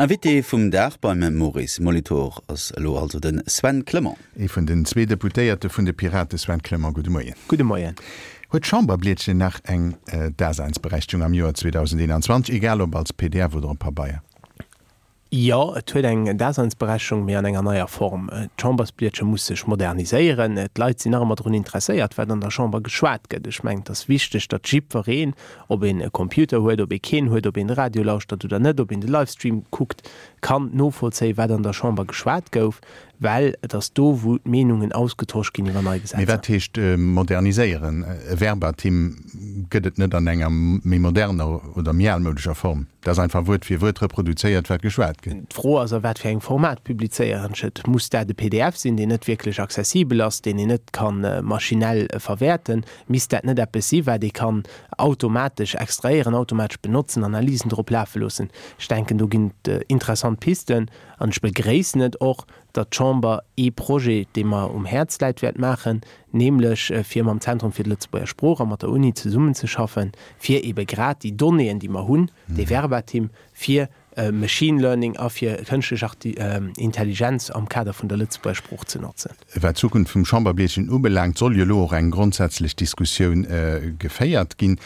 Invité vum Dag beim Maurice Molitor ass elo also de Sven Clement. Ee vun den zwee Deputéierte vun de Pirate, Sven Clement, gudde Moien. Gudde Moien. Huet d'Chamberblietchen nach eng Daseinsberechtigung am Joer 2021, egal ob als pdf oder op Pabeier? Jo, et huet eng Daseinsberechtigung, mee an enger neier Form. D'Chambersblietche muss sech moderniséieren. D'Leit sinn nach ëmmer drun interesséiert, wat an der Chamber geschwat gëtt. Ech mengen, et ass wichteg, datt jiddwereen, ob een e Computer huet, ob ee keen huet, ob een de Radio lauschtert oder net, ob een de Livestream kuckt, kann novollzéien, wat an der Chamber geschwat gouf. Well et ass do, wou d'Meenungen ausgetosch ginn iwwer nei Gesetzer. Mee wat heescht moderniséieren? E Verbatim gëtt et net an enger méi moderner oder méi almoudescher Form. Dat ass einfach Wuert fir Wuert reproduzéiert, wat geschwat gëtt. D'Fro ass, a wat fir engem Format publizéieren ech et? Muss dat e pdf sinn, deen net wierklech accessibel ass, deen een net ka maschinell verwäerten? Misst dat net eppes si wat ee kann automatesch extrahéieren, automatesch benotzen, Analysen drop lafe loossen? Ech denken, do ginn et interessant Pisten. An ech begréissen et och, datt d'Chamber ee Projet, dee mer um Häerz läit, wäert maachen, nämlech fir mam Zentrum fir d'Lëtzebuerger Sprooch a mat der Uni zesummenzeschaffen, fir eebe grad déi Donnéeën, déi mer hunn, dee Verbatim, fir Machine Learning a fir kënschtlech Intelligenz am Kader vun der Lëtzebuerger Sprooch ze notzen. Wat d'Zukunft vum Chamberblietchen ubelaangt, soll jo elo och eng grondsätzlech Diskussioun geféiert ginn.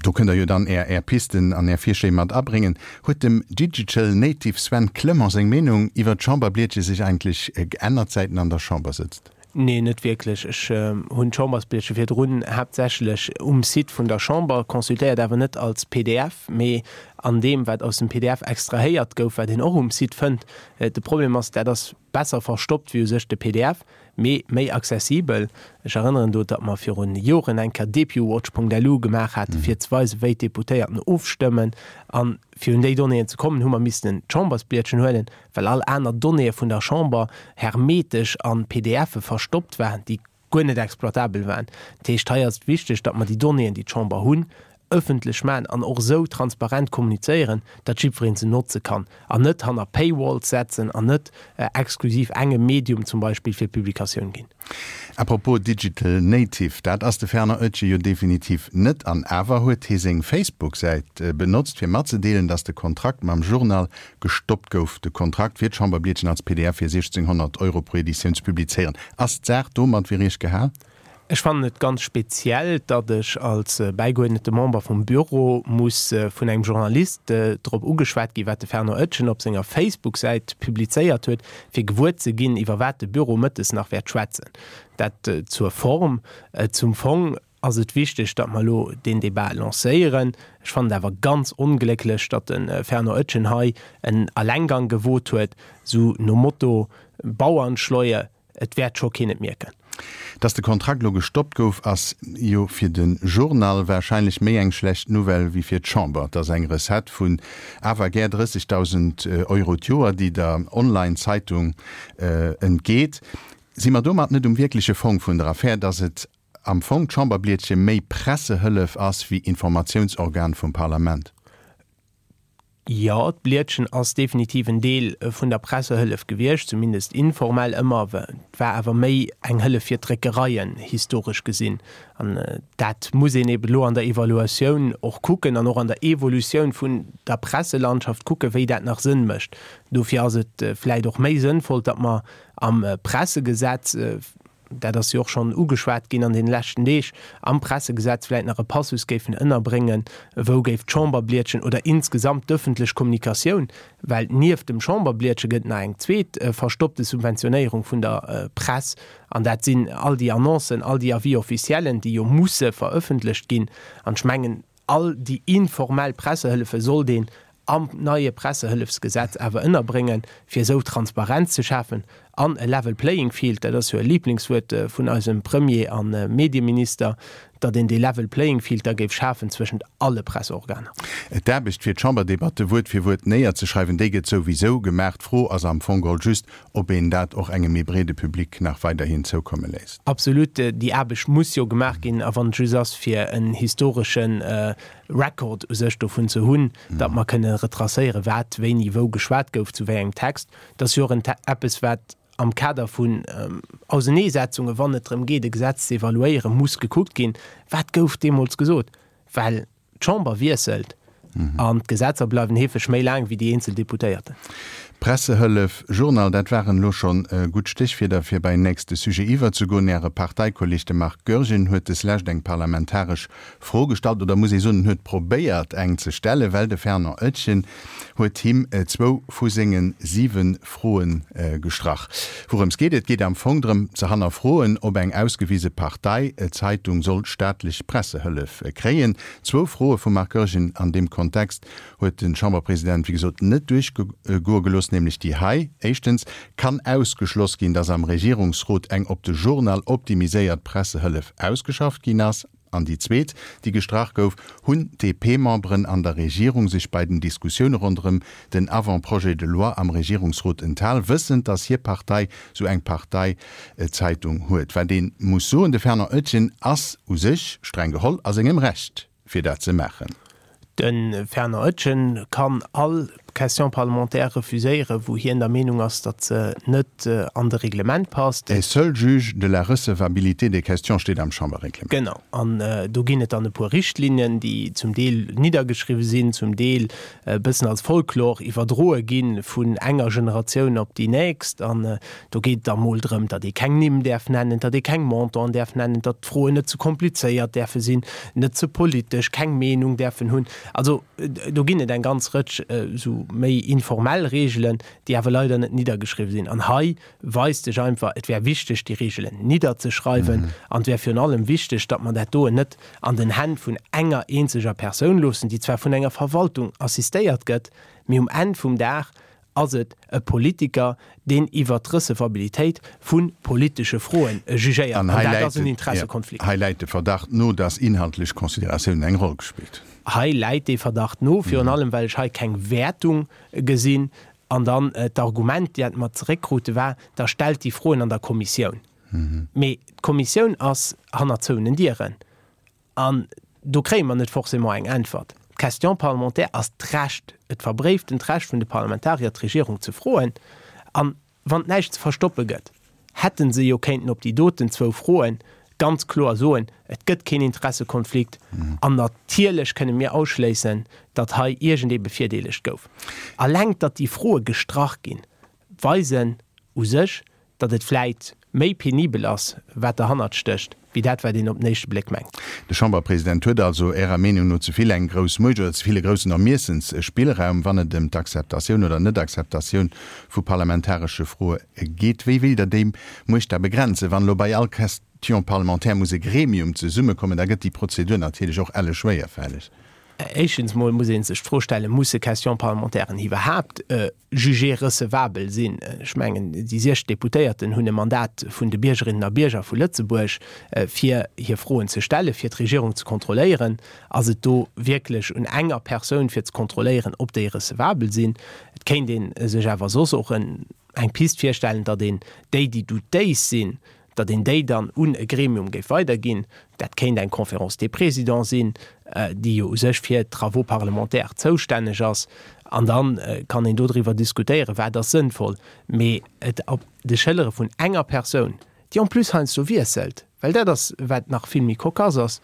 Do kënnt Der jo dann Är Är Pisten an Är Virschléi mat abréngen. Huet dem Digital Native Sven Clement seng Meenung iwwer d'Chamberblietche sech eigentlech geännert, säit en an der Chamber sëtzt? Nee, net wierklech. Ech hunn d'Chambersblietche virdrun haaptsächlech um Site vun der Chamber consultéiert, awer net als pdf, mee an deem, wat aus dem pdf extrahéiert gouf, wat een och um Site fënnt. De Problem ass, dat ass besser verstoppt wéi u sech de pdf, mee méi accessibel. Ech erënneren do, datt mer virun Joren eng Kéier depuwatch.lu gemaach haten, fir ze weisen, wéi d'Deputéierten ofstëmmen. A fir un déi Donnéeën ze kommen, hu mer missten d'Chambersblietchen huelen, well all aner Donnéeë vun der Chamber hermetesch a PDFe verstoppt waren, déi guer net exploitabel waren. Dat heescht, hei ass et wichteg, datt mer déi Donnéeën, déi d'Chamber hunn, ëffentlech maachen an och esou transparent kommunizéieren, datt jiddweree se notze kann an net hanner Paywalls setzen an net exklusiv engem Medium zum Beispill fir d'Publikatioun ginn. À propos Digital Native, dat ass de Fernand Oetjen jo definitiv net. An awer huet hie seng Facebook-Säit benotzt, fir matzedeelen, datt de Kontrakt mam Journal gestoppt gouf. De Kontrakt fir d'Chamberblietchen als pdf fir 1.600 Euro pro Editioun ze publizéieren. Ass d'Saach domat fir Iech gehal? Ech fannen et ganz speziell, datt ech als bäigeuerdnete Member vum Büro muss vun engem Journalist drop ugeschwat ginn, wat de Fernand Oetjen op senger Facebook-Säit publizéiert huet, fir gewuer ze ginn, iwwer wat de Büro mëttes nach wäert schwätzen. Dat zur Form. Zum Fong ass et wichteg, datt mer elo deen Debat lancéieren. Ech fannen et awer ganz onglécklech, datt de Fernand Oetjen hei en Allenggang gewot huet, sou nom Motto Bauernschleue, et wäert scho keen et mierken. Datt de Kontrakt elo gestoppt gouf, ass jo fir de Journal warscheinlech méi eng schlecht Nouvelle wéi fir d'Chamber. Et ass eng Recette vun awer gär 30.000 Euro d'Joer, déi der Online-Zeitung entgeet. Si mer domat net um wierkleche Fong vun der Affär, datt et am Fong d'Chamberblietche méi Pressehëllef ass wéi Informatiounsorgan vum Parlament? Jo, d'Blietchen ass definitiv en Deel vun der Pressehëllef gewiescht, zumindest informell ëmmer. Et war awer méi eng Hëllef fir d'Dréckereien, historesch gesinn. An dat muss een eben elo an der Evaluatioun och kucken an och an der Evolutioun vun der Presselandschaft kucken, wéi dat nach Sënn mécht. Dofir ass et vläicht och méi sënnvoll, datt mer am Pressegesetz, dat ass jo och schonn ugeschwat ginn an deene leschten Deeg, am Pressegesetz vläicht nach e Passus géifen ënnerbréngen, wou géif d'Chamberblietchen oder insgesamt d'ëffentlech Kommunikatioun, well nieft dem Chamberblietche gëtt et nach eng zweet verstoppte Subventionéierung vun der Press, an dat sinn all déi Annoncen, all déi Avis officiellen, déi jo musse verëffentlecht ginn. An ech mengen, All déi informell Pressehëllefe sollt een am neie Pressehëllefsgesetz awer ënnerbréngen, fir esou Transparenz ze schafen an e level playing field, dat ass jo e Liblingswuert vun eisem Premier a Medieminister, datt een dee level playing field da géif schafen zwëschent alle Presseorganer. D'Aarbecht, fir d'Chamberdebatte Wuert fir Wuert néierzeschreiwen, déi gëtt souwisou gemaach. D'Fro ass am Fong geholl just, ob een dat och engem méi breede Public nach weiderhin zoukomme léisst. Absolut, déi Aarbecht muss jo gemaach ginn, a wann et just ass fir en historesche Record u sech dovun ze hunn, datt mer kënne retracéieren, wat wéini wou geschwat gouf, zu wéi engem Text. Dat ass jo och en eppes, wat am Kader vun Auseneesetzungen, wann et drëm geet e Gesetz ze evaluéieren, muss gekuckt ginn, wat gouf deemools gesot, well D'Chamber wiesselt. An d'Gesetzer bleiwen heefeg méi laang wéi déi eenzel Deputéierten. Pressehëllef, Journal, dat waren elo schonn gutt Stéchwierder fir bei nächste Sujet iwwerzegoen. Äre Parteikolleg, de Marc Goergen, huet deslescht eng parlamentaresch Fro gestallt, oder muss ee soen, en huet probéiert eng ze stellen, well de Fernand Oetjen huet him zwou vu senge 7 Froe gestrach. Wourëms geet et? Et geet am Fong drëm ze hannerfroen, ob eng ausgewise Parteizeitung soll staatlech Pressehëllef kréien. Zwou Froe vum Marc Goergen an deem Kontext huet de Chamberpresident, wéi gesot, net duerchgoe gelooss, nämlech déi hei, Éischtens, Kann ausgeschloss ginn, datt am Regierungsrot eng op de Journal optimiséiert Pressehëllef ausgeschafft ginn ass? An déi zweet, déi gestrach gouf, Hunn d'DP-Memberen an der Regierung sech bei den Diskussioune ronderëm den Avant-projet de loi am Regierungsrot enthal, wëssend, datt hir Partei sou eng Parteizeitung huet? Wat ee muss soen, De Fernand Oetjen ass u sech, streng geholl, a sengem Recht, fir dat ze maachen. De Fernand Oetjen kann all Question parlementaire refuséieren, wou hien der Meenung ass, datt se net an de Reglement passt. Est seul juge de la recevabilité des questions steet am Chamberreglement. Genau. An do ginn et dann e puer Richtlinnen, déi zum Deel niddergeschriwwen sinn, zum Deel e bëssen als Folklor iwwerdroe gi vun enger Generatioun op déi nächst. An do geet et da mol drëm, datt ee keng Nimm däerf nennen, datt ee keng Montanten däerf nennen, datt d'Froen net ze komplizéiert däerfe sinn, net ze politesch, keng Meenung däerfen hunn. Also do ginn et eng ganz Rëtsch esou méi informell Reegelen, déi awer leider net niddergeschriwwen sinn. An hei weist sech einfach, et wär wichteg, déi Reegelen nidderzeschreiwen. An et wär virun allem wichteg, datt mer dat doen net an den Hänn vun enger eenzeger Persoun loossen, déi zwar vun enger Verwaltung assistéiert gëtt, mee um Enn vum Dag ass et e Politiker, deen iwwert d'Recevabilitéit vu politesche Froen jugéiert. An dat ass en Interessekonflikt. Hei läit de Verdacht no, dass inhaltlech Consideratiounen eng Roll gespillt hunn. Hei läit dee Verdacht no, virun allem well ech hei keng Wäertung gesinn. An dann d'Argument, dat mer zeréckkrute war, da stellt déi Froen an der Kommissioun. Mee d'Kommissioun ass hanner zouenen Dieren. An do kréie mer net forcément eng Äntwert. D'Question parlementaire ass d'Recht, et verbréiftent Recht vun de Parlamentarier, d'Regierung ze froen. An wann et näischt ze verstoppe gëtt, hätte se jo kéinten op déi doten zwou Froe ganz kloer soen, et gëtt keen Interessekonflikt an natierlech kënne mir ausschléissen, datt hei iergendee bevirdeelegt gouf. Alleng datt déi Froe gestrach ginn, weisen u sech, datt et vläit méi penibel ass, wat derhannert stécht, wéi dat, wat een op den éischte Bléck mengt. De Chamberpresident huet also Ärer Meenung no ze vill eng grouss Muecht oder ze vill e groussen Ermiessensspillraum, wann et ëm d'Akzeptatioun oder Net-Akzeptatioun vu parlamentaresche Froe geet. Wéi wéilt Der déi Muecht da begrenzen? Wann elo bei all Question parlementaire muss e Gremium zesummekommen, da gëtt déi Prozedur natierlech och elle schwéierfälleg. Éischtens mol muss ee sech d'Fro stellen, Musse Question-parlementairen iwwerhaapt jugé recevabel sinn? Ech mengen, déi 60 Deputéierten hunn e Mandat vun de Biergerinnen a Bierger vu Lëtzebuerg, fir hir Froen ze stellen, fir d'Regierung ze kontrolléieren. Ass et do wierklech un enger Persoun, fir ze kontrolléieren, ob déi recevabel sinn? Et kéint ee sech awer soss och eng Pist virstellen, datt een déi, déi doutéis sinn, datt een déi dann un e Gremium géif weiderginn, dat kéint eng Conférence des Présidents sinn, déi jo u sech fir d'Travaux parlementaires zoustänneg ass, an da kann een dodriwwer diskutéieren, wat ass sënnvoll. Mee et op de Schëllere vun enger Persoun, déi en plus heiansdo wiesselt, well dat ass, wat nach vill méi cocasse ass,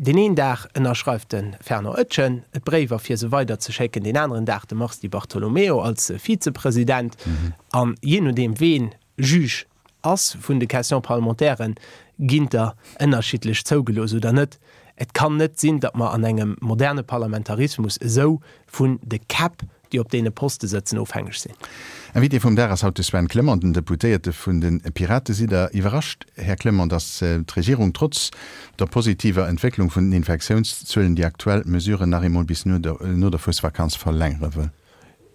deen een Dag ënnerschreift de Fernand Oetjen d'Bréiwer, fir se weiderzeschécken, deen aneren Dag de Mars Di Bartolomeo als Vizepresident, an jee nodeem ween Juge ass vun de Questions parlementairen, ginn der ënnerschiddlech zougelooss oder net. Et kann net sinn, datt mer an engem moderne Parlamentarismus esou vun de Käpp, déi op deene Poste sëtzen, ofhängeg sinn. Invité vum Dag ass haut de Sven Clement, den Deputéierte vun de Piraten. Sidd Der iwwerrascht, Här Clement, datt d'Regierung trotz der positiver Entwécklung vun den Infektiounszuelen déi aktuell Mesuren nach eemol bis no der Fuesvakanz verlängere wëll?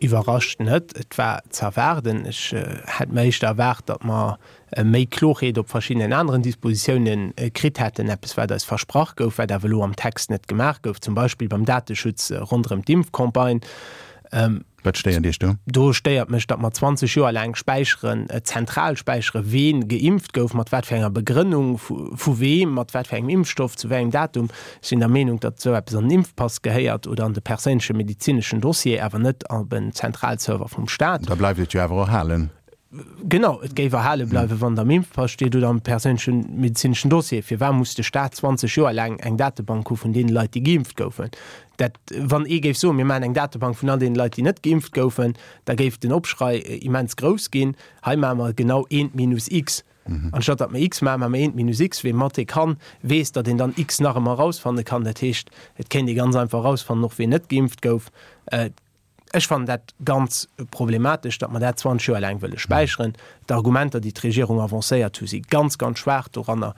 Iwwerrascht net, et war z'erwaarden. Ech hätt mer éischter erwaart, datt mer méi Klorheet op verschiddenen aneren Dispositiounen kritt hätten, eppes wat eis versprach gouf, wat awer elo am Text net gemaach gouf, zum Beispill beim Dateschutz ronderëm d'Impfcampagne. Wat stéiert Iech do? Do stéiert mech, datt mer 20 Joer laang späicheren, zentral späicheren, ween geimpft gouf, mat wat fir enger Begrënnung, vu weem, mat wat fir engem Impfstoff, zu wéi engem Datum. Ech sinn der Meenung, datt esou eppes an den Impfpass gehéiert oder an de perséinleche medezineschen Dossier, awer net op en Zentralserver vum Staat. Da bleift et jo awer och halen. Genau, et géif erhale bleiwen, wann et am Impfpass steet oder am perséinleche medezineschen Dossier. Firwat muss de Staat 20 Joer laang eng Datebank hu vun deene Leit, déi geimpft goufen? Dat, wann ee géif soen, mir maachen eng Datebank vun all deene Leit, déi net geimpft goufen, da géif den Opschrei immens grouss ginn. Hei maache mer genau eent minus X. Anstatt datt mer X maachen, maache mer eent minus X. Wee Mathé kann, weess, datt een dann X nach ëmmer erausfanne kann. Dat heescht, et kéint ee ganz einfach erausfannen, och ween net geimpft gouf. Ech fannen dat ganz problematesch, datt mer dat 20 Joer laang wëlle späicheren. D'Argumenter, déi d'Regierung avancéiert hu si ganz, ganz schwaach doranner.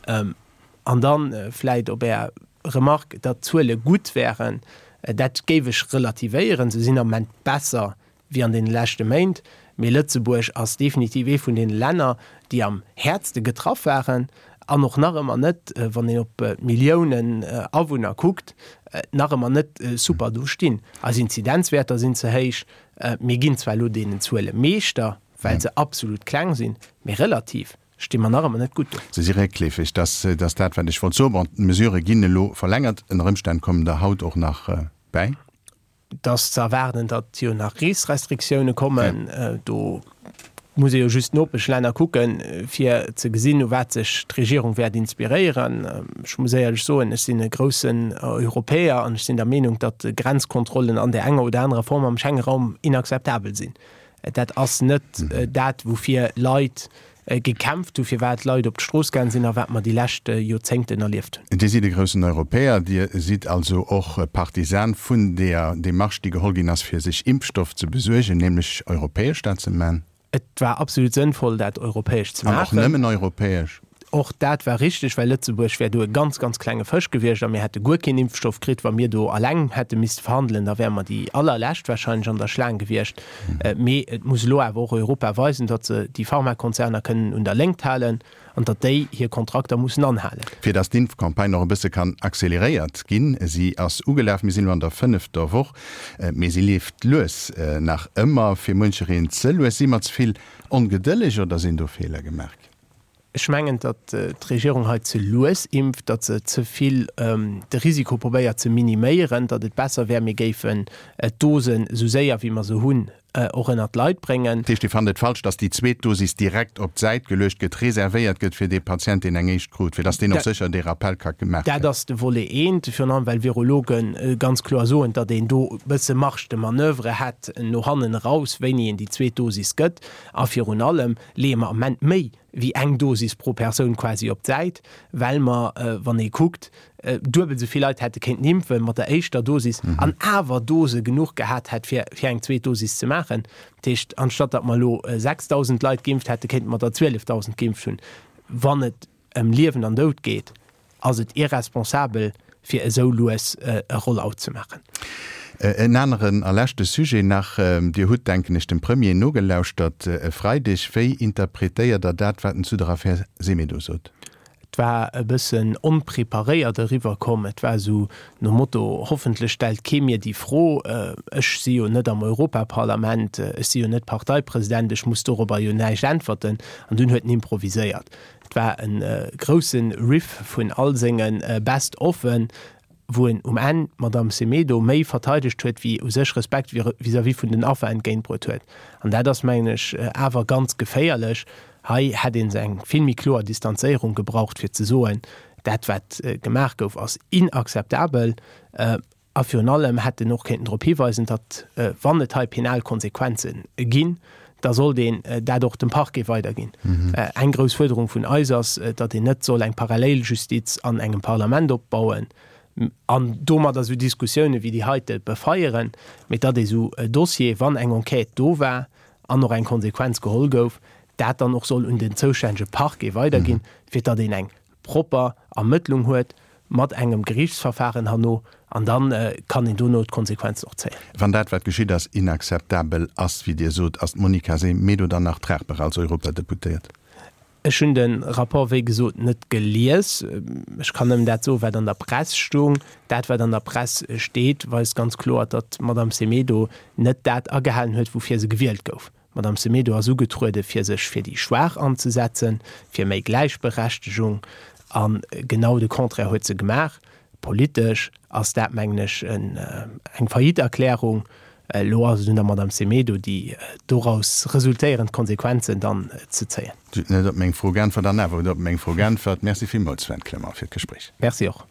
An da vläicht op Är Remarque, datt d'Zuele gutt wären, dat géif ech relativéieren. Se sinn am Moment besser wéi an deene leschte Méint, mee Lëtzebuerg ass definitiv ee vun deene Länner, déi am häertste getraff waren an och nach ëmmer net, wann een op d'Milliounen Awunner kuckt, nach ëmmer net super do stinn. Eis Inzidenzwäerter sinn ze héich. Mir ginn zwar elo deenen Zuele Meeschter, well se absolut kleng sinn, mee relativ sti mer nach ëmmer net gutt do. Se si réckleefeg. Dat ass dat, wat ech wollt soen. Bon, d'Mesurë ginn elo verlängert. Ënner Ëmstänn kommen der haut och nach bäi. Et ass ze erwaarden, datt jo nach Reesrestriktioune kommen. Do muss ee jo just d'Nopeschlänner kucken, fir ze gesinn, u wat sech d'Regierung wäert inspiréieren. Ech muss éierlech soen, ech sinn e groussen Europäer an ech sinn der Meenung, datt Grenzkontrollen an där enger oder anerer Form am Schengenraum inakzeptabel sinn. Dat ass net dat, woufir Leit gekämpft hu, firwat d'Leit op d'Strooss gaang sinn a wat mer déi lescht Joerzéngten erlieft hunn. Dir sidd e groussen Europäer. Dir sidd also och Partisan vun deeër Demarche, déi geholl ginn ass, fir sech Impfstoff ze besuergen, nämlech europäesch dat ze man. Et war absolut sënnvoll, dat europäesch ze maachen. An och nëmmen europäesch. Och dat war richteg, well Lëtzebuerg wär do e ganz, ganz klenge Fësch gewiescht a mir hätte guer keen Impfstoff kritt, wa mir do alleng hätte misste verhandelen. Da wäre mer déi allerlescht wahrscheinlech an der Schlaang gewiescht. Mee et muss elo awer och Europa weisen, datt se déi Pharmakonzerner kënnen un der Léngt halen an datt déi hir Kontrakter mussen anhalen. Fir datt d'Impfcampagne och e bësse kann acceleréiert ginn, si ass ugelaf, mir sinn elo an der fënnefter Woch, mee si leeft lues, nach ëmmer fir muenchereen ze lues. Si mer ze vill ongedëlleg oder sinn do Feeler gemaach ginn? Ech mengen, datt d'Regierung hei ze lues impft, datt se ze vill de Risiko probéiert ze miniméieren, datt et besser wär, mir géifen d'Dosen esou séier wéi mer se hunn och ënnert d'Leit bréngen. Dat heescht, Dir fannt et falsch, datt déi zweet Dosis direkt op d'Säit geluecht gëtt, reservéiert gëtt fir dee Patient, deen eng éischt krut, fir datt deen och sécher dee Rappel ka gemaach kréien? Dat ass de Volet eent, virun allem well Virologe ganz kloer soen, datt een do e bësse Marge de manoeuvre hätt no hannen eraus, wéini een déi zweet Dosis gëtt. A virun allem leeë mer am Moment méi wéi eng Dosis pro Persoun quasi op d'Säit, well mer, wann ee kuckt, duebel esou vill Leit hätte kéinten impfe mat der éischter Dosis an awer Dose genuch gehat hätt, fir fir eng zweet Dosis ze maachen. Dat heescht, anstatt datt mer elo 6.000 Leit geimpft hätten, kéinte mer der 12.000 geimpft hunn. Wann et ëm Liewen an Doud geet, ass et irresponsabel, fir esou lues e Rollout ze maachen. En aneren a leschte Sujet nach, Dir hutt, denken ech, dem Premier nogelauschtert e Freideg. Wéi interpretéiert Der dat, wat en zu der Affär Semedo sot? Et war e bëssen onpreparéiert eriwwer komm. Et war esou nom Motto, Hoffentlech stellt kee mir déi Fro, ech si jo net am Europaparlament, ech si jo net Parteipresident, ech muss dorobber jo näischt äntwerten. An dunn huet en improviséiert. Et war e grousse Riff vun all senge Best Offen, wou en um Enn d'Madamm Semedo méi verteidegt huet, wéi u sech Respekt vis-à-vis vun den Affer entgéintbruet huet. An dat ass, mengen ech, awer ganz geféierlech. Hei hätt een eng vill méi kloer Distanzéierung gebraucht, fir ze soen, dat wat gemaach gouf, ass inakzeptabel. A virun allem hätt en och kéinten drop hiweisen, datt, wann et hei penal Konsequenze ginn, da sollt een dat och dem Parquet weiderginn. Eng grouss Fuerderung vun eis ass, datt een net soll eng Paralleljustiz an engem Parlament opbauen an domadder esou Diskussioune wéi déi heite befeieren, mee datt ee sou Dossiere, wann eng Enquête do war an och eng Konsequenz geholl gouf, dat dann och soll un den zoustännege Parquet weiderginn, fir datt een eng propper Ermëttlung huet mat engem Geriichtsverfahren herno, an da kann een dono d'Konsequenzen och zéien. Wann dat, wat geschitt ass, inakzeptabel ass, wéi Dir sot, ass d'Monica Semedo dann nach tragbar als Europadeputéiert? Ech hunn de Rapport, wéi gesot, net gelies. Ech kann nëmmen dat soen, wat an der Press stoung. Dat, wat an der Press steet, weist ganz kloer, datt d'Madame Semedo net dat agehalen huet, woufir se gewielt gouf. D'Madame Semedo ass ugetruede fir sech fir déi Schwaach anzesetzen, fir méi Gläichberechtegung, a genau de Contraire huet se gemaach. Politesch ass dat, mengen ech, eng Faillite-Erklärung. Elo ass et un der Madame Semedo, déi doraus resultéierend Konsequenzen dann ze zéien. Dir hutt net op meng Fro geäntwert an awer hutt Der op meng Fro geäntwert. Merci villmools, Sven Clement, fir d'Gespréich. Merci och.